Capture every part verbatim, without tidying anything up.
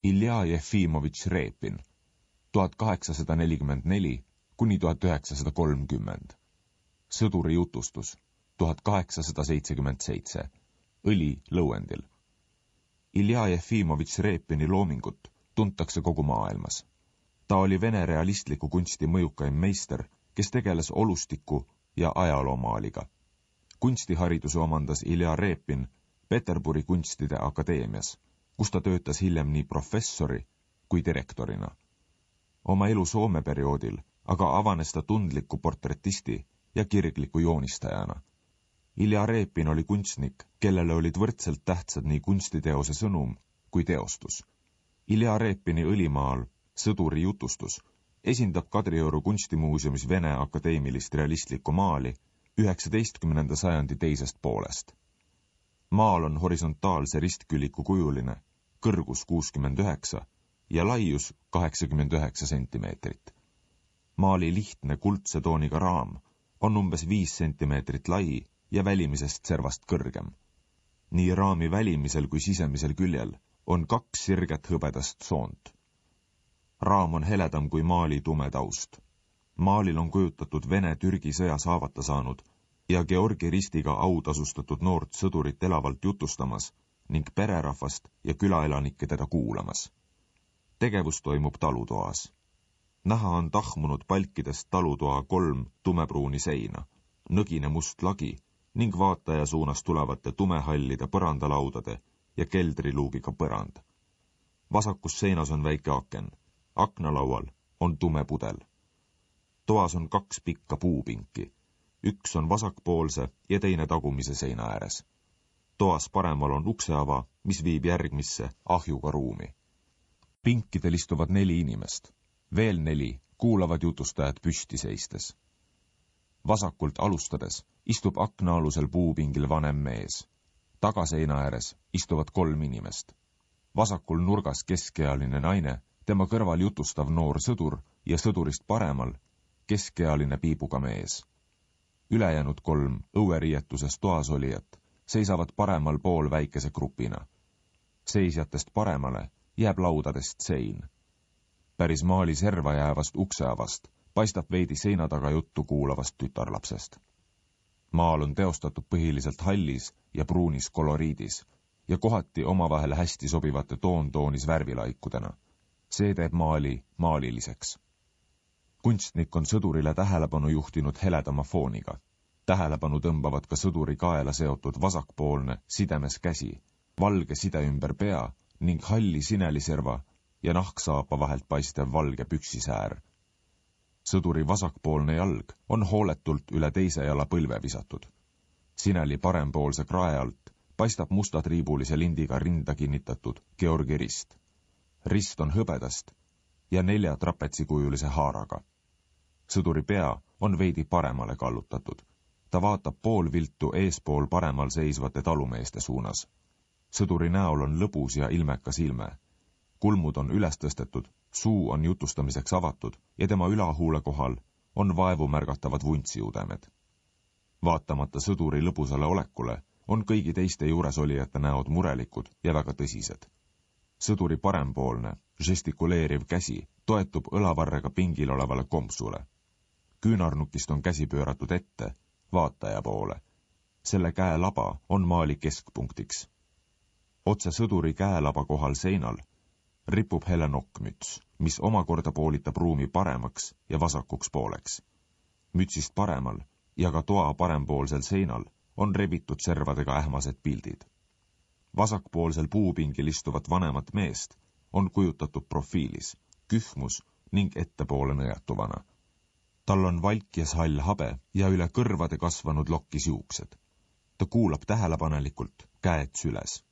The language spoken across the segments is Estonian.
Ilja Jefimovitš Repin, tuhat kaheksasada nelikümmend neli kuni tuhat üheksasada kolmkümmend. Sõduri jutustus, tuhat kaheksasada seitsekümmend seitse. Õli lõuendil. Ilja Jefimovitš Repini loomingut tuntakse kogu maailmas. Ta oli vene realistliku kunsti mõjukaim meister, kes tegeles olustiku ja ajaloomaaliga. Kunstihariduse omandas Ilja Repin Peterburi kunstide akadeemias, kus ta töötas hiljem nii professori kui direktorina. Oma elu Soome perioodil aga avanes ta tundliku portretisti ja kirgliku joonistajana. Ilja Repin oli kunstnik, kellele olid võrdselt tähtsad nii kunstiteose sõnum kui teostus. Ilja Repini Õlimaal Sõduri jutustus esindab Kadrioru kunstimuuseumis Vene akadeemilist realistlikku maali üheksateistkümnenda sajandi teisest poolest. Maal on horisontaalse ristküliku kujuline, kõrgus kuuskümmend üheksa ja laius kaheksakümmend üheksa sentimeetrit. Maali lihtne kuldse tooniga raam on umbes viis sentimeetrit lai ja välimisest servast kõrgem. Nii raami välimisel kui sisemisel küljel on kaks sirget hõbedast soont. Raam on heledam kui maali tume taust. Maalil on kujutatud Vene-Türgi sõjas haavata saanud ja Georgi ristiga autasustatud noort sõdurit elavalt jutustamas ning pererahvast ja külaelanikke teda kuulamas. Tegevus toimub talutoas. Näha on tahmunud palkidest talutoa kolm tumepruuni seina, nõgine must lagi ning vaataja suunas tulevate tumehallide põrandalaudade ja keldriluugiga põrand. Vasakus seinas on väike aken. Aknalaual on tume pudel. Toas on kaks pikka puupinki. Üks on vasakpoolse ja teine tagumise seina ääres. Toas paremal on ukseava, mis viib järgmisse ahjuga ruumi. Pinkidel istuvad neli inimest. Veel neli kuulavad jutustajad püsti seistes. Vasakult alustades istub aknaalusel puupingil vanem mees. Tagaseina ääres istuvad kolm inimest. Vasakul nurgas keskealine naine, tema kõrval jutustav noor sõdur ja sõdurist paremal keskealine piibuga mees. Ülejäänud kolm õueriietuses toas olijat seisavad paremal pool väikese grupina. Seisjatest paremale jääb laudadest sein. Päris maali serva jäävast ukseavast paistab veidi seina taga juttu kuulavast tütarlapsest. Maal on teostatud põhiliselt hallis ja pruunis koloriidis ja kohati omavahel hästi sobivate toon-toonis värvilaikudena. See teeb maali maaliliseks. Kunstnik on sõdurile tähelepanu juhtinud heledama fooniga. Tähelepanu tõmbavad ka sõduri kaela seotud vasakpoolne sidemes käsi, valge side ümber pea ning halli sineliserva ja nahksaapa vahelt paistev valge püksisäär. Sõduri vasakpoolne jalg on hooletult üle teise jala põlve visatud. Sineli parempoolse krae alt paistab mustatriibulise lindiga rinda kinnitatud Georgi rist. Rist on hõbedast ja nelja trapetsikujulise haaraga. Sõduri pea on veidi paremale kallutatud. Ta vaatab pool viltu eespool paremal seisvate talumeeste suunas. Sõduri näol on lõbus ja ilmekas ilme. Kulmud on üles tõstetud, suu on jutustamiseks avatud ja tema ülahuule kohal on vaevu märgatavad vuntsiudemed. Vaatamata sõduri lõbusale olekule on kõigi teiste juuresolijate näod murelikud ja väga tõsised. Sõduri parempoolne, žestikuleeriv käsi toetub õlavarrega pingil olevale kompsule. Küünarnukist on käsi pööratud ette, vaataja poole. Selle käelaba on maali keskpunktiks. Otse sõduri käelaba kohal seinal ripub hele nokkmüts, mis omakorda poolitab ruumi paremaks ja vasakuks pooleks. Mütsist paremal ja ka toa parempoolsel seinal on rebitud servadega ähmased pildid. Vasakpoolsel puupingil istuvat vanemat meest on kujutatud profiilis, kühmus ning ettepoole nõjatuvana. Tal on valkjas hall habe ja üle kõrvade kasvanud lokkis juuksed. Ta kuulab tähelepanelikult, käed süles.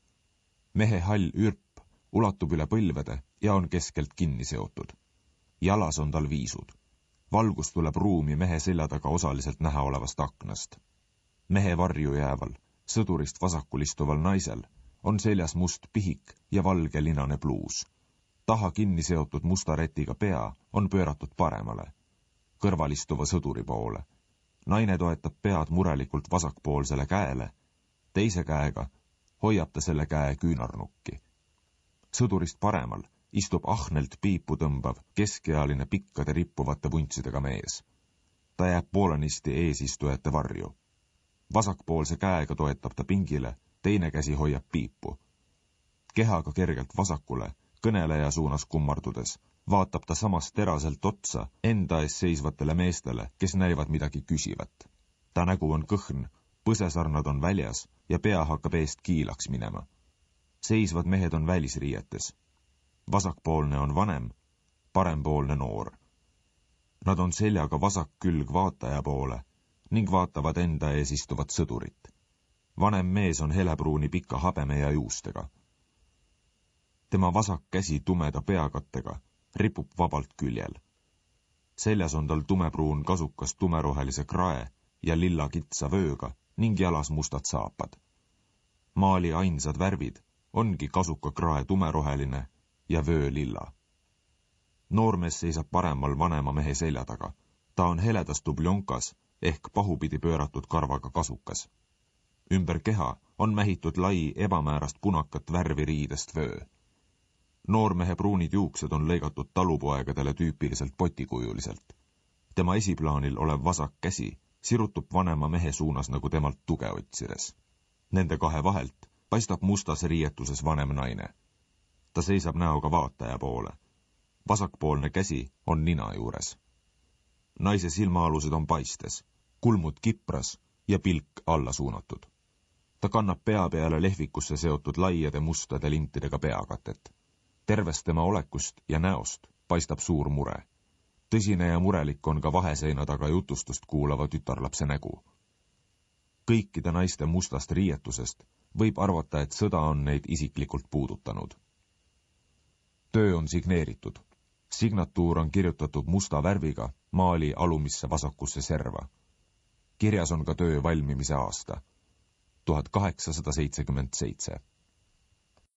Mehe hall ürp ulatub üle põlvede ja on keskelt kinni seotud. Jalas on tal viisud. Valgus tuleb ruumi mehe selja taga osaliselt näha olevast aknast. Mehe varju jääval, sõdurist vasakul istuval naisel on seljas must pihik ja valge linane pluus. Taha kinni seotud musta retiga pea on pööratud paremale, kõrval istuva sõduri poole. Naine toetab pead murelikult vasakpoolsele käele, teise käega hoiab ta selle käe küünarnukki. Sõdurist paremal istub ahnelt piipu tõmbav, keskealine pikkade rippuvate vuntsidega mees. Ta jääb poolenisti eesistujate varju. Vasakpoolse käega toetab ta pingile, teine käsi hoiab piipu. Kehaga kergelt vasakule, kõneleja suunas kummardudes, vaatab ta samas teraselt otsa enda ees seisvatele meestele, kes näivad midagi küsivat. Ta nägu on kõhn, põsesarnad on väljas ja pea hakkab eest kiilaks minema. Seisvad mehed on välisriietes. Vasakpoolne on vanem, parempoolne noor. Nad on seljaga vasak külg vaataja poole ning vaatavad enda ees istuvat sõdurit. Vanem mees on helepruuni pika habeme ja juustega. Tema vasak käsi tumeda peakattega ripub vabalt küljel. Seljas on tal tumepruun kasukas tumerohelise krae ja lilla kitsa vööga ning jalas mustad saapad. Maali ainsad värvid ongi kasuka krae tumeroheline ja vöö lilla. Noormees seisab paremal vanema mehe selja taga. Ta on heledas dubljonkas ehk pahupidi pööratud karvaga kasukas. Ümber keha on mähitud lai ebamäärast punakat värvi riidest vöö. Noormehe pruunid juuksed on lõigatud talupoegadele tüüpiliselt potikujuliselt. Tema esiplaanil olev vasak käsi sirutub vanema mehe suunas nagu temalt tuge otsides. Nende kahe vahelt paistab mustas riietuses vanem naine. Ta seisab näoga vaataja poole. Vasakpoolne käsi on nina juures. Naise silmaalused on paistes, kulmud kipras ja pilk alla suunatud. Ta kannab pea peale lehvikusse seotud laiade mustade lintidega peakatet. Tervest tema olekust ja näost paistab suur mure. Tõsine ja murelik on ka vaheseina taga jutustust kuulava tütarlapse nägu. Kõikide naiste mustast riietusest võib arvata, et sõda on neid isiklikult puudutanud. Töö on signeeritud. Signatuur on kirjutatud musta värviga maali alumisse vasakusse serva. Kirjas on ka töö valmimise aasta. tuhat kaheksasada seitsekümmend seitse.